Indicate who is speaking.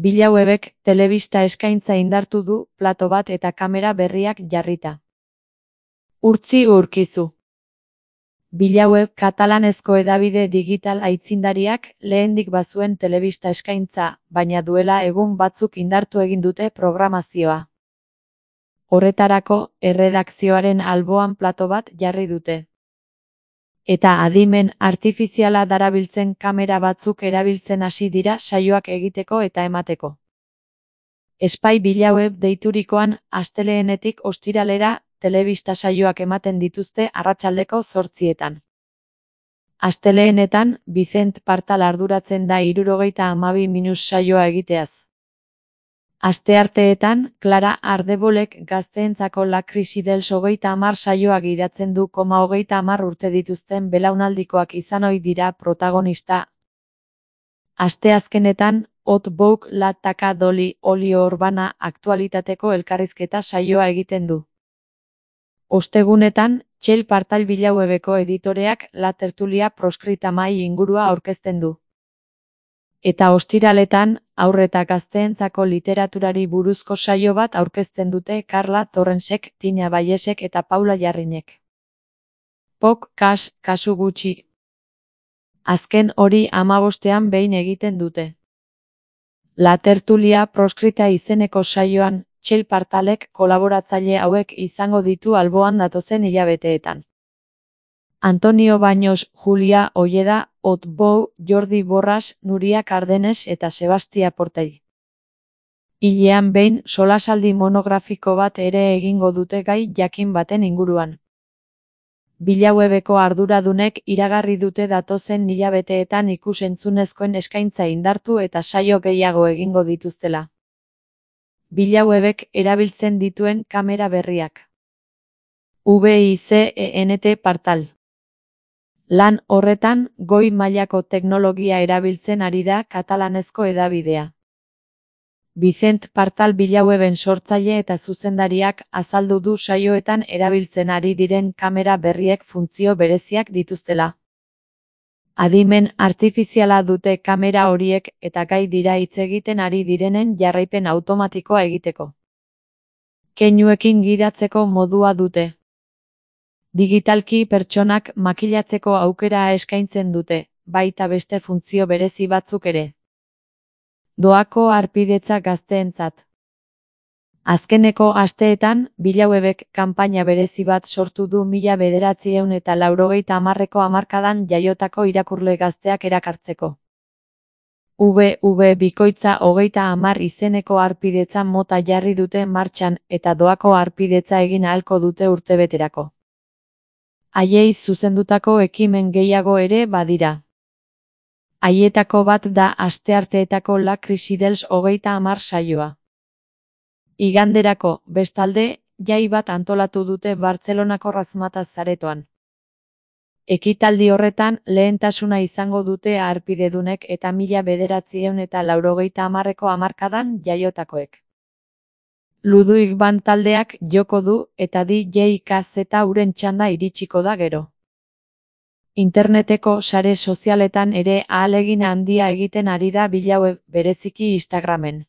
Speaker 1: Bilauebek telebista eskaintza indartu du plato bat eta kamera berriak jarrita. Urtzi urkizu. Bilaueb katalanezko hedabide digital aitzindariak lehendik bazuen telebista eskaintza, baina duela egun batzuk indartu egin dute programazioa. Horretarako, erredakzioaren alboan plato bat jarri dute. Eta adimen artifiziala darabiltzen kamera batzuk erabiltzen hasi dira saioak egiteko eta emateko. Espai Bilaueb deiturikoan asteleenetik ostiralera telebista saioak ematen dituzte arratsaldeko 8:00. Asteleenetan Vicent Partal arduratzen da 72 saioa egiteaz. Astearteetan, Clara Ardebolek gazteentzako La krisi dels 30 saioa gidatzen du. 30 urte dituzten belaunaldikoak izan ohi dira protagonista. Asteazkenetan, Hot Bouk La Taka Doli Olio Urbana aktualitateko elkarrizketa saioa egiten du. Ostegunetan, Txell Partal Bilauebeko editoreak La Tertulia proskrita mahai ingurua aurkezten du. Eta ostiraletan, haur eta gazteentzako literaturari buruzko saio bat aurkezten dute Karla Torrensek, Tina Baiesek eta Paula Jarrinek. Pok, kasu gutxi. Azken hori 15ean behin egiten dute. La Tertulia proskrita izeneko saioan, Txell Partalek kolaboratzaile hauek izango ditu alboan datozen hilabeteetan. Antonio Baños, Julia Olleda, Hot Bou, Jordi Borras, Nuria Cardenes eta Sebastia Portell. Hilean behin solasaldi monografiko bat ere egingo dute gai jakin baten inguruan. Bilauebeko arduradunek iragarri dute datozen hilabeteetan ikus-entzunezkoen eskaintza indartu eta saio gehiago egingo dituztela. Bilauebek erabiltzen dituen kamera berriak. VICENT Partal. Lan horretan, goi mailako teknologia erabiltzen ari da katalanezko hedabidea. Vicent Partal Bilaueben sortzaile eta zuzendariak azaldu du saioetan erabiltzen ari diren kamera berriek funtzio bereziak dituztela. Adimen artifiziala dute kamera horiek eta gai dira hitz egiten ari direnen jarraipen automatikoa egiteko. Keinuekin gidatzeko modua dute. Digitalki pertsonak makilatzeko aukera eskaintzen dute, baita beste funtzio berezi batzuk ere. Doako harpidetza gazteentzat. Azkeneko asteetan, Bilauebek kanpaina berezi bat sortu du 1980eko hamarkadan jaiotako irakurle gazteak erakartzeko. bikoitza 30 izeneko harpidetza mota jarri dute martxan eta doako harpidetza egin ahalko dute urtebeterako. Haiei zuzendutako ekimen gehiago ere badira. Haietako bat da astearteetako La krisi dels 30 saioa. Iganderako, bestalde, jai bat antolatu dute Bartzelonako Razmataz aretoan. Ekitaldi horretan, lehentasuna izango dute harpidedunek eta 1980eko hamarkadan jaiotakoek. Ludwig Band taldeak joko du eta DJ KZ uren txanda iritsiko da gero. Interneteko sare sozialetan ere ahalegin handia egiten ari da Bilaueb, bereziki Instagramen.